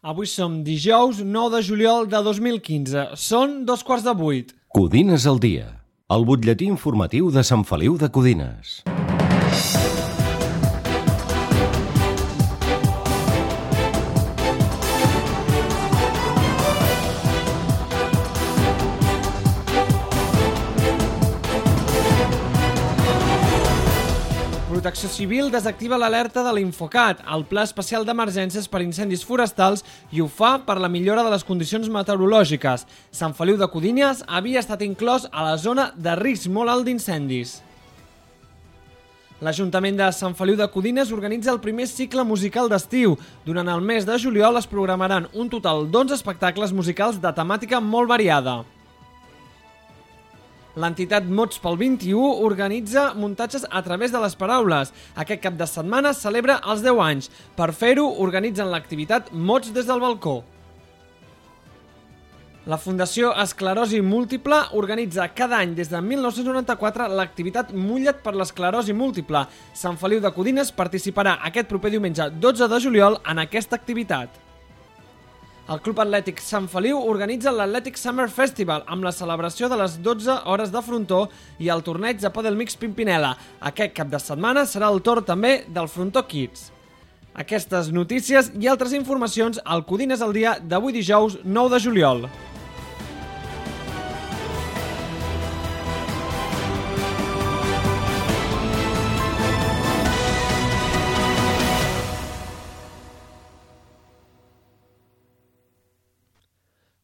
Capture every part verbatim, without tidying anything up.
Avui som dijous nou de juliol de dos mil quinze. Són dos quarts de vuit. Codines al dia. El butlletí informatiu de Sant Feliu de Codines. Protecció Civil desactiva l'alerta de l'Infocat, el Pla Especial d'Emergències per Incendis Forestals, i ho fa per la millora de les condicions meteorològiques. Sant Feliu de Codines havia estat inclòs a la zona de risc molt alt d'incendis. L'Ajuntament de Sant Feliu de Codines organitza el primer cicle musical d'estiu. Durant el mes de juliol es programaran un total d'onze espectacles musicals de temàtica molt variada. L'entitat Mots pel vint-i-u organitza muntatges a través de les paraules. Aquest cap de setmana celebra els deu anys. Per fer-ho, organitzen l'activitat Mots des del balcó. La Fundació Esclerosi Múltiple organitza cada any des de mil nou-cents noranta-quatre l'activitat Mulla't per l'esclerosi múltiple. Sant Feliu de Codines participarà aquest proper diumenge dotze de juliol en aquesta activitat. El Club Atlètic Sant Feliu organitza l'Atlètic Summer Festival amb la celebració de les dotze hores de frontó i el torneig de Padel Mix Pimpinela. Aquest cap de setmana serà el torn també del Frontó Kids. Aquestes notícies i altres informacions al Codines al dia d'avui dijous nou de juliol.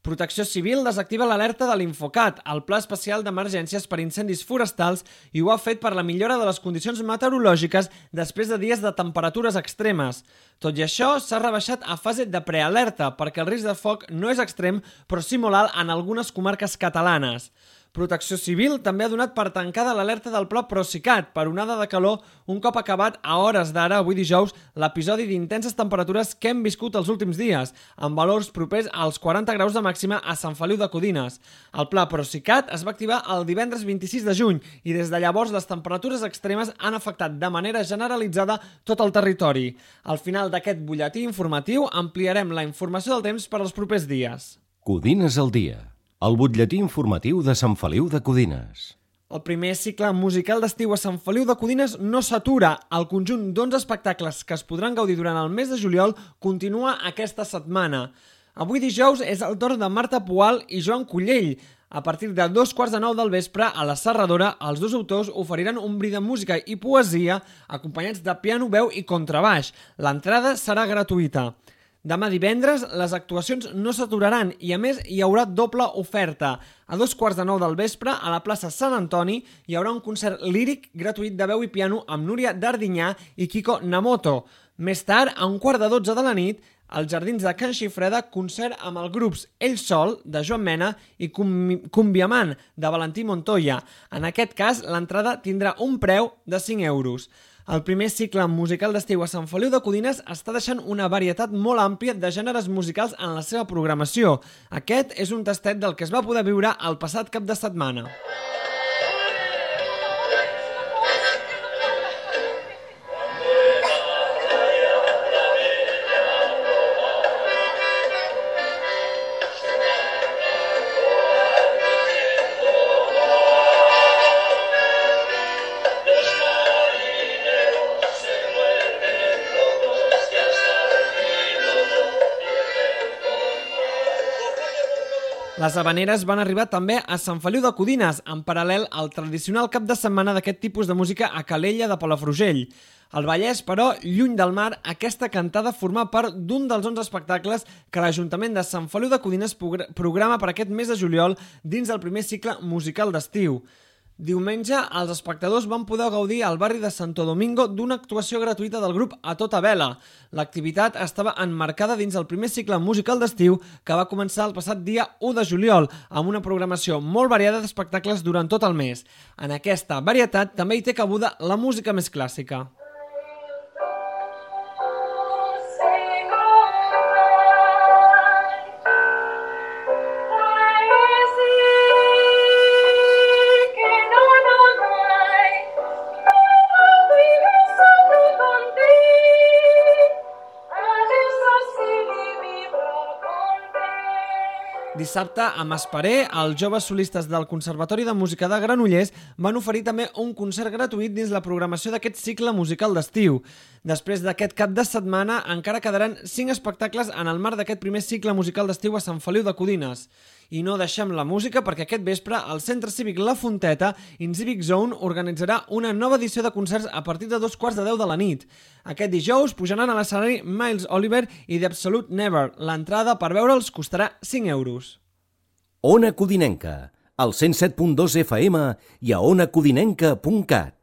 Protecció Civil desactiva l'alerta de l'Infocat, el Pla Especial d'Emergències per Incendis Forestals, i ho ha fet per la millora de les condicions meteorològiques després de dies de temperatures extremes. Tot i això, s'ha rebaixat a fase de prealerta perquè el risc de foc no és extrem, però sí molt alt en algunes comarques catalanes. Protecció Civil també ha donat per tancada l'alerta del Pla Procicat per onada de calor un cop acabat a hores d'ara, avui dijous, l'episodi d'intenses temperatures que hem viscut els últims dies, amb valors propers als quaranta graus de màxima a Sant Feliu de Codines. El Pla Procicat es va activar el divendres vint-i-sis de juny i des de llavors les temperatures extremes han afectat de manera generalitzada tot el territori. Al final d'aquest butlletí informatiu ampliarem la informació del temps per als propers dies. Codines al dia. El butlletí informatiu de Sant Feliu de Codines. El primer cicle musical d'estiu a Sant Feliu de Codines no s'atura. El conjunt d'onze espectacles que es podran gaudir durant el mes de juliol continua aquesta setmana. Avui dijous és el torn de Marta Poal i Joan Collell. A partir de dos quarts de nou del vespre, a la Serradora, els dos autors oferiran un bri de música i poesia acompanyats de piano, veu i contrabaix. L'entrada serà gratuïta. Demà divendres les actuacions no s'aturaran i a més hi haurà doble oferta. A dos quarts de nou del vespre a la plaça Sant Antoni hi haurà un concert líric gratuït de veu i piano amb Núria Dardinyà i Kiko Namoto. Més tard, a un quart de dotze de la nit, als Jardins de Can Xifreda, concert amb els grups Ell Sol, de Joan Mena, i Cumbiamant, de Valentí Montoya. En aquest cas, l'entrada tindrà un preu de cinc euros. El primer cicle musical d'estiu a Sant Feliu de Codines està deixant una varietat molt àmplia de gèneres musicals en la seva programació. Aquest és un tastet del que es va poder viure el passat cap de setmana. Les habaneres van arribar també a Sant Feliu de Codines, en paral·lel al tradicional cap de setmana d'aquest tipus de música a Calella de Palafrugell. Al Vallès, però, lluny del mar, aquesta cantada forma part d'un dels onze espectacles que l'Ajuntament de Sant Feliu de Codines programa per aquest mes de juliol dins del primer cicle musical d'estiu. Diumenge, els espectadors van poder gaudir al barri de Santo Domingo d'una actuació gratuïta del grup A Tota Vela. L'activitat estava emmarcada dins el primer cicle musical d'estiu que va començar el passat dia u de juliol, amb una programació molt variada d'espectacles durant tot el mes. En aquesta varietat també hi té cabuda la música més clàssica. Libro Dissabte, a Masparé, els joves solistes del Conservatori de Música de Granollers van oferir també un concert gratuït dins la programació d'aquest cicle musical d'estiu. Després d'aquest cap de setmana, encara quedaran cinc espectacles en el marc d'aquest primer cicle musical d'estiu a Sant Feliu de Codines. I no deixem la música perquè aquest vespre el Centre Cívic La Fonteta in Civic Zone organitzarà una nova edició de concerts a partir de dos quarts de deu de la nit. Aquest dijous pujaran a l'escenari Miles Oliver i The Absolute Never. L'entrada per veure'ls costarà cinc euros. Ona Codinenca, al cent set punt dos F M i a ona codinenca punt cat.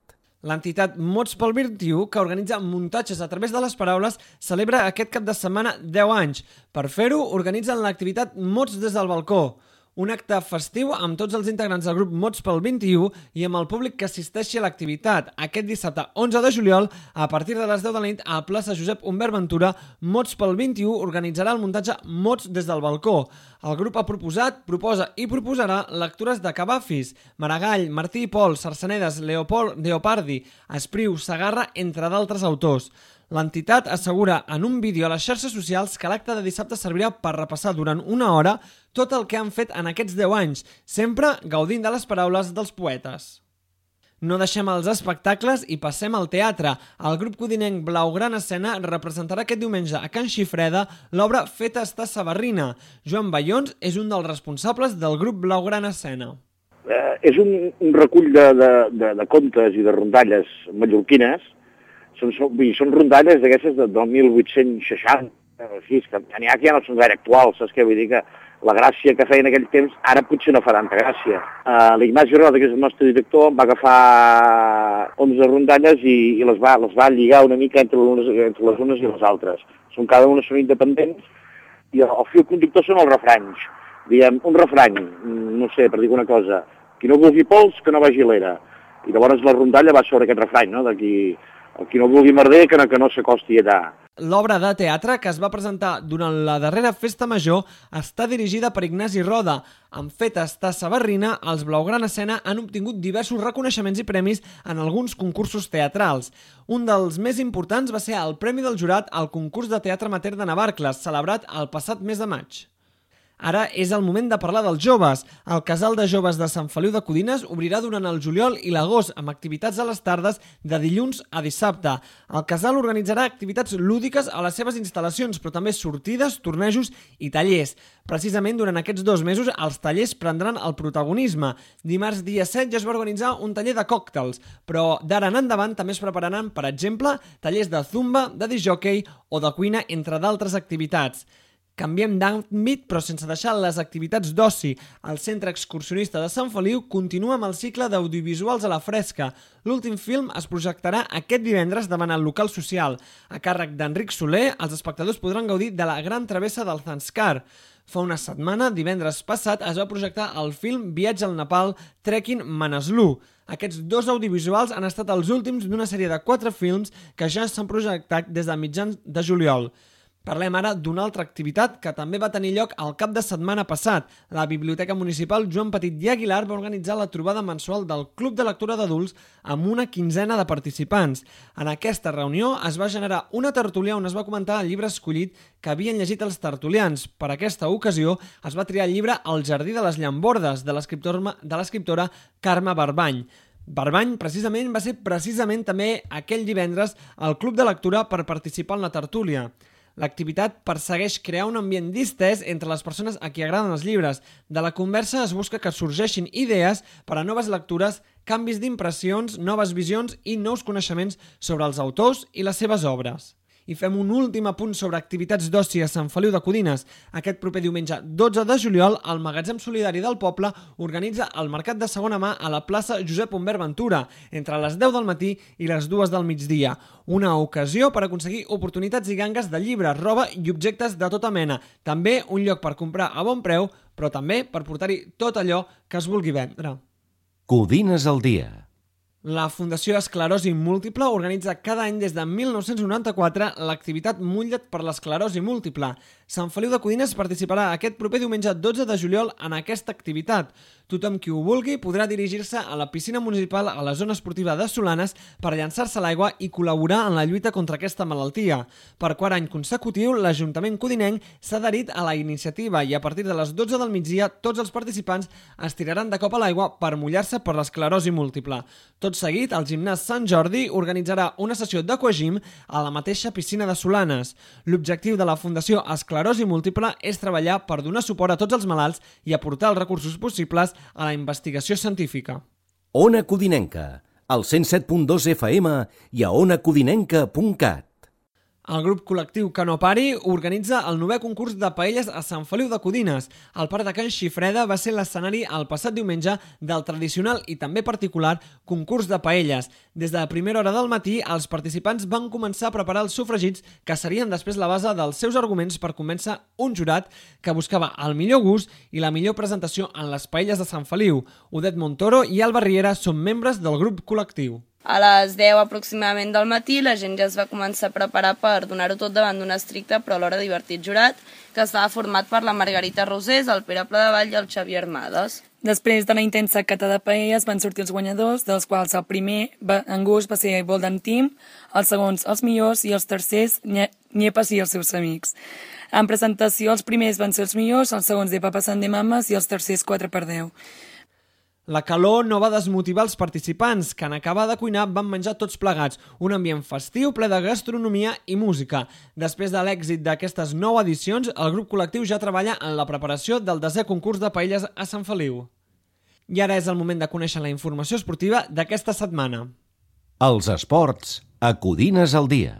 L'entitat Mots pel vint i u, que organitza muntatges a través de les paraules, celebra aquest cap de setmana deu anys. Per fer-ho, organitzen l'activitat Mots des del balcó, un acte festiu amb tots els integrants del grup Mots pel vint i u i amb el públic que assisteixi a l'activitat. Aquest dissabte onze de juliol, a partir de les deu de la nit, a la plaça Josep Humbert Ventura, Mots pel vint i u organitzarà el muntatge Mots des del balcó. El grup ha proposat, proposa i proposarà lectures de Cavafis, Maragall, Martí i Pol, Sarsenedes, Leopold, Leopardi, Espriu, Sagarra, entre d'altres autors. L'entitat assegura en un vídeo a les xarxes socials que l'acte de dissabte servirà per repassar durant una hora tot el que han fet en aquests deu anys, sempre gaudint de les paraules dels poetes. No deixem els espectacles i passem al teatre. El grup codinenc Blaugrana Escena representarà aquest diumenge a Can Xifreda l'obra Feta està Sabarrina. Joan Bayons és un dels responsables del grup Blaugrana Escena. Eh, és un, un recull de, de, de, de contes i de rondalles mallorquines. Són, són, són rondalles d'aquestes de, del mil vuit-cents seixanta, així, que n'hi ha que ja no són gaire actuals, saps què? Vull dir que la gràcia que feien en aquell temps ara potser no fa tanta gràcia. Uh, L'Ignasi Roda, que és el nostre director, va agafar onze rondalles i, i les, va, les va lligar una mica entre les, entre les unes i les altres. Són, cada una són independents i el, el fil conductor són els refranys. Diguem, un refrany, no sé, per dir una cosa, qui no vulgui pols, que no vagi a l'era. I llavors la rondalla va sobre aquest refrany, no?, de qui, qui no vulgui merder, que no, que no s'acosti allà. L'obra de teatre, que es va presentar durant la darrera festa major, està dirigida per Ignasi Roda. En Feta està Sabarrina, els Blaugrana Escena han obtingut diversos reconeixements i premis en alguns concursos teatrals. Un dels més importants va ser el Premi del Jurat al concurs de teatre amateur de Navarcles, celebrat el passat mes de maig. Ara és el moment de parlar dels joves. El Casal de Joves de Sant Feliu de Codines obrirà durant el juliol i l'agost amb activitats a les tardes de dilluns a dissabte. El casal organitzarà activitats lúdiques a les seves instal·lacions, però també sortides, tornejos i tallers. Precisament durant aquests dos mesos els tallers prendran el protagonisme. Dimarts dia set ja es va organitzar un taller de còctels, però d'ara en endavant també es prepararan, per exemple, tallers de zumba, de discjòquei o de cuina, entre d'altres activitats. Canviem d'àmbit, però sense deixar les activitats d'oci. El Centre Excursionista de Sant Feliu continua amb el cicle d'audiovisuals a la fresca. L'últim film es projectarà aquest divendres davant el local social. A càrrec d'Enric Soler, els espectadors podran gaudir de la gran travessa del Zanskar. Fa una setmana, divendres passat, es va projectar el film Viatge al Nepal, Trekking Manaslu. Aquests dos audiovisuals han estat els últims d'una sèrie de quatre films que ja s'han projectat des de mitjans de juliol. Parlem ara d'una altra activitat que també va tenir lloc el cap de setmana passat. La Biblioteca Municipal Joan Petit i Aguilar va organitzar la trobada mensual del Club de Lectura d'Adults amb una quinzena de participants. En aquesta reunió es va generar una tertúlia on es va comentar el llibre escollit que havien llegit els tertulians. Per aquesta ocasió es va triar el llibre El jardí de les llambordes, de l'escriptora Carme Barbany. Barbany, precisament, va ser precisament també aquell divendres al Club de Lectura per participar en la tertúlia. L'activitat persegueix crear un ambient distès entre les persones a qui agraden els llibres. De la conversa es busca que sorgeixin idees per a noves lectures, canvis d'impressions, noves visions i nous coneixements sobre els autors i les seves obres. I fem un últim apunt sobre activitats d'oci a Sant Feliu de Codines. Aquest proper diumenge dotze de juliol, el Magatzem Solidari del Poble organitza el mercat de segona mà a la plaça Josep Humbert Ventura, entre les deu del matí i les dues del migdia. Una ocasió per aconseguir oportunitats i gangues de llibres, roba i objectes de tota mena. També un lloc per comprar a bon preu, però també per portar-hi tot allò que es vulgui vendre. Codines al dia. La Fundació Esclerosi Múltiple organitza cada any des de mil nou-cents noranta-quatre l'activitat Mutlla't per l'esclerosi múltiple. Sant Feliu de Codines participarà aquest proper diumenge dotze de juliol en aquesta activitat. Tothom qui ho vulgui podrà dirigir-se a la piscina municipal a la zona esportiva de Solanes per llançar-se a l'aigua i col·laborar en la lluita contra aquesta malaltia. Per quart any consecutiu, l'Ajuntament codinenc s'ha adherit a la iniciativa i a partir de les dotze del migdia tots els participants es tiraran de cop a l'aigua per mullar-se per l'esclerosi múltiple. Tot seguit, el gimnàs Sant Jordi organitzarà una sessió d'aquagym a la mateixa piscina de Solanes. L'objectiu de la Fundació Esclerosi Múltiple és treballar per donar suport a tots els malalts i aportar els recursos possibles a la investigació científica. Ona Codinenca, al cent set punt dos F M i a ona codinenca punt cat. El grup col·lectiu Que no pari organitza el novè concurs de paelles a Sant Feliu de Codines. El Parc de Can Xifreda va ser l'escenari el passat diumenge del tradicional i també particular concurs de paelles. Des de la primera hora del matí, els participants van començar a preparar els sofregits que serien després la base dels seus arguments per convèncer un jurat que buscava el millor gust i la millor presentació en les paelles de Sant Feliu. Odet Montoro i Alba Riera són membres del grup col·lectiu. A les deu aproximadament del matí la gent ja es va començar a preparar per donar-ho tot davant d'un estricte però alhora divertit jurat que estava format per la Margarita Rosés, el Pere Pladevall i el Xavier Armades. Després de la intensa cata de paelles van sortir els guanyadors, dels quals el primer va, en gust va ser Golden Team, els segons els millors i els tercers Nyepes i els seus amics. En presentació els primers van ser els millors, els segons de Papa Sant de Mames i els tercers quatre per deu. La calor no va desmotivar els participants, que en acabar de cuinar van menjar tots plegats, un ambient festiu ple de gastronomia i música. Després de l'èxit d'aquestes nou edicions, el grup col·lectiu ja treballa en la preparació del desè concurs de paelles a Sant Feliu. I ara és el moment de conèixer la informació esportiva d'aquesta setmana. Els esports a Codines al dia.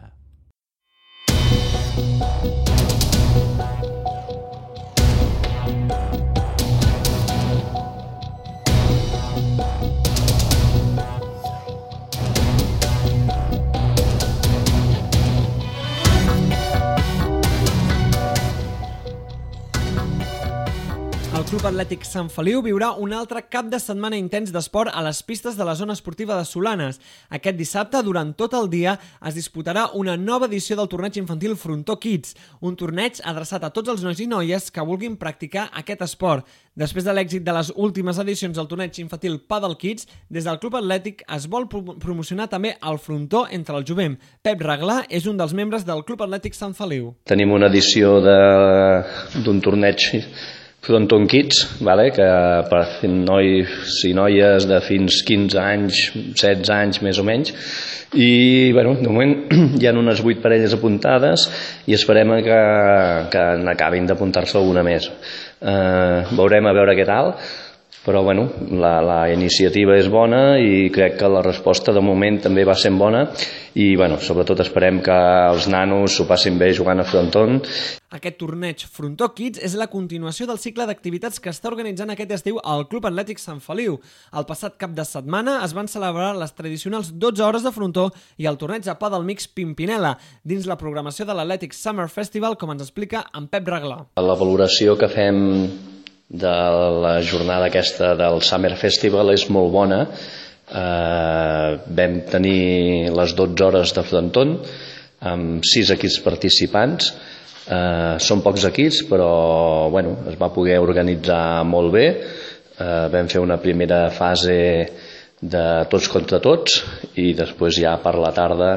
El Club Atlètic Sant Feliu viurà un altre cap de setmana intens d'esport a les pistes de la zona esportiva de Solanes. Aquest dissabte, durant tot el dia, es disputarà una nova edició del torneig infantil Frontó Kids, un torneig adreçat a tots els nois i noies que vulguin practicar aquest esport. Després de l'èxit de les últimes edicions del torneig infantil Paddle Kids, des del Club Atlètic es vol promocionar també el frontó entre el jovent. Pep Reglà és un dels membres del Club Atlètic Sant Feliu. Tenim una edició d'un torneig Fronton Kids, vale? Que per nois i noies de fins quinze anys, setze anys més o menys, i bueno, de moment hi ha unes vuit parelles apuntades i esperem que, que n'acabin d'apuntar-se alguna més. Eh, veurem a veure què tal, però bueno, la, la iniciativa és bona i crec que la resposta de moment també va sent bona i bueno, sobretot esperem que els nanos s'ho passin bé jugant a fronton. Aquest torneig Frontó Kids és la continuació del cicle d'activitats que està organitzant aquest estiu al Club Atlètic Sant Feliu. El passat cap de setmana es van celebrar les tradicionals dotze hores de frontó i el torneig de pàdel mix Pimpinela, dins la programació de l'Atlètic Summer Festival, com ens explica en Pep Reglà. La valoració que fem de la jornada aquesta del Summer Festival és molt bona. Eh, vam tenir les dotze hores de fronton amb sis equips participants. Eh, són pocs equips, però bueno, es va poder organitzar molt bé. Eh, vam fer una primera fase de tots contra tots i després ja per la tarda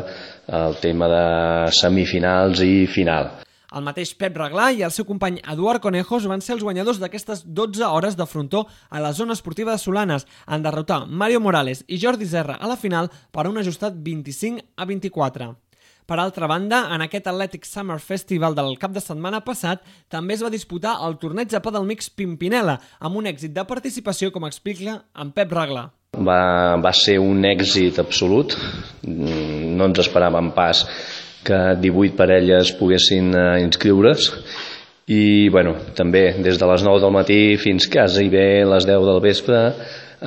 el tema de semifinals i final. El mateix Pep Reglà i el seu company Eduard Conejos van ser els guanyadors d'aquestes dotze hores de frontó a la zona esportiva de Solanes, en derrotar Mario Morales i Jordi Serra a la final per un ajustat vint-i-cinc a vint-i-quatre. Per altra banda, en aquest Athletic Summer Festival del cap de setmana passat també es va disputar el torneig de pàdel mix Pimpinela, amb un èxit de participació, com explica en Pep Reglà. Va, va ser un èxit absolut, no ens esperàvem pas que divuit parelles poguessin uh, inscriure's i bueno, també des de les nou del matí fins quasi bé les deu del vespre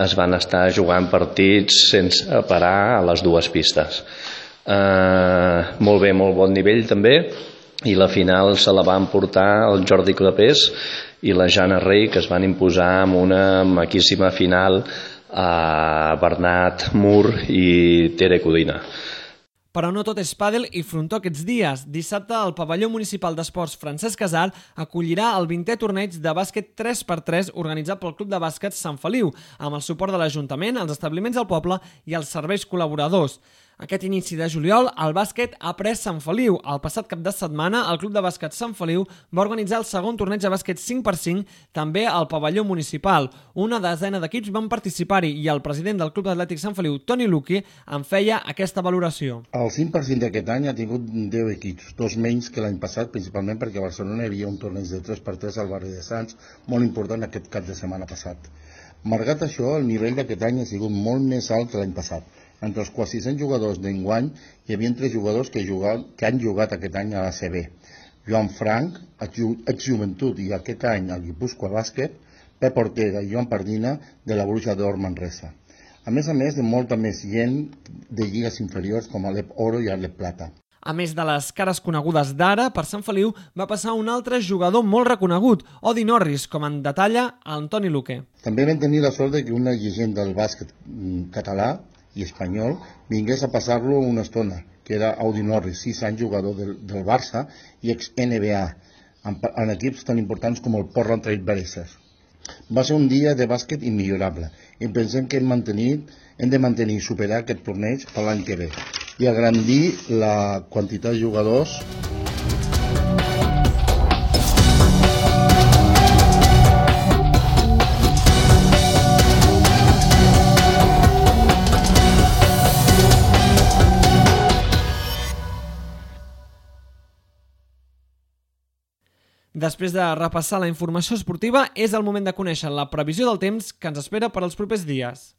es van estar jugant partits sense parar a les dues pistes. Uh, molt bé, molt bon nivell també, i la final se la van portar el Jordi Clapés i la Jana Rey, que es van imposar amb una maquíssima final a Bernat Mur i Tere Codina. Però no tot és pàdel i frontó aquests dies. Dissabte, el pavelló municipal d'esports Francesc Casal acollirà el vintè torneig de bàsquet tres per tres organitzat pel Club de Bàsquet Sant Feliu, amb el suport de l'Ajuntament, els establiments del poble i els serveis col·laboradors. Aquest inici de juliol, el bàsquet ha pres Sant Feliu. El passat cap de setmana, el Club de Bàsquet Sant Feliu va organitzar el segon torneig de bàsquet cinc per cinc, també al pavelló municipal. Una desena d'equips van participar-hi i el president del Club Atlètic Sant Feliu, Toni Luqui, en feia aquesta valoració. El cinc per cent d'aquest any ha tingut deu equips, dos menys que l'any passat, principalment perquè a Barcelona hi havia un torneig de tres per tres al barri de Sants, molt important aquest cap de setmana passat. Malgrat això, el nivell d'aquest any ha sigut molt més alt que l'any passat. Entre els quasi cent jugadors d'enguany hi havia tres jugadors que, jugat, que han jugat aquest any a la C B. Joan Frank, ex-Joventut, i aquest any al Guipúscoa Bàsquet, Pep Ortega i Joan Pardina de la Bruixa d'Or Manresa. A més a més de molta més gent de lligues inferiors com a l'E P Oro i a l'E P Plata. A més de les cares conegudes d'ara, per Sant Feliu va passar un altre jugador molt reconegut, Odi Norris, com en detalla Antoni Luque. També vam tenir la sort que una llegenda del bàsquet català i espanyol vingués a passar-lo una estona, que era Audi Norris, sis anys jugador del, del Barça i ex-N B A, en, en equips tan importants com el Portland Trail Blazers. Va ser un dia de bàsquet immillorable i pensem que hem, mantenir, hem de mantenir i superar aquest torneig per l'any que ve i agrandir la quantitat de jugadors. Després de repassar la informació esportiva, és el moment de conèixer la previsió del temps que ens espera per als propers dies.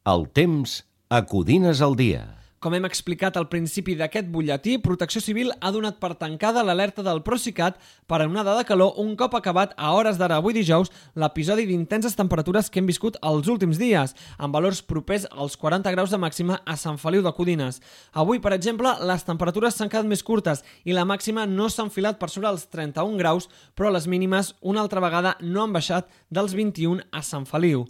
El temps a Codines al dia. Com hem explicat al principi d'aquest butlletí, Protecció Civil ha donat per tancada l'alerta del Procicat per a onada de calor un cop acabat a hores d'ara avui dijous l'episodi d'intenses temperatures que hem viscut els últims dies, amb valors propers als quaranta graus de màxima a Sant Feliu de Codines. Avui, per exemple, les temperatures s'han quedat més curtes i la màxima no s'ha enfilat per sobre els trenta-un graus, però les mínimes una altra vegada no han baixat dels vint-i-un a Sant Feliu.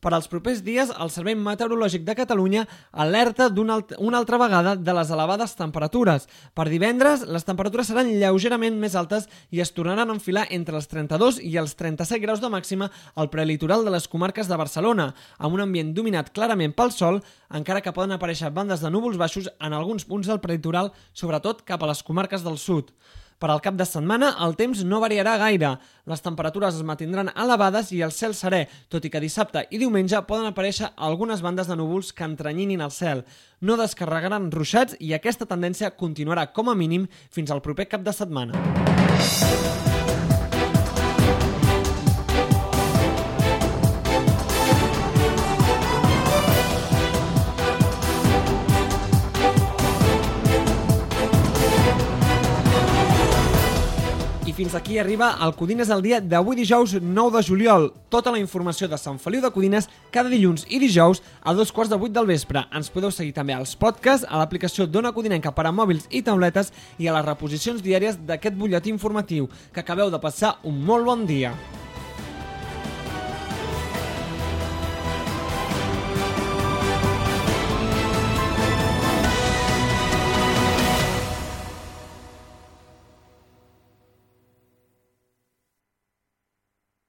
Per als propers dies, el Servei Meteorològic de Catalunya alerta una, alt una altra vegada de les elevades temperatures. Per divendres, les temperatures seran lleugerament més altes i es tornaran a enfilar entre els trenta-dos i els trenta-set graus de màxima al prelitoral de les comarques de Barcelona, amb un ambient dominat clarament pel sol, encara que poden aparèixer bandes de núvols baixos en alguns punts del prelitoral, sobretot cap a les comarques del sud. Per al cap de setmana, el temps no variarà gaire. Les temperatures es mantindran elevades i el cel serè, tot i que dissabte i diumenge poden aparèixer algunes bandes de núvols que entrenyinin el cel. No descarregaran ruixats i aquesta tendència continuarà com a mínim fins al proper cap de setmana. Fins aquí arriba el Codines al dia d'avui dijous nou de juliol. Tota la informació de Sant Feliu de Codines cada dilluns i dijous a dos quarts de vuit del vespre. Ens podeu seguir també als podcasts, a l'aplicació d'Ona Codinenca per a mòbils i tauletes i a les reposicions diàries d'aquest butlletí informatiu. Que acabeu de passar un molt bon dia.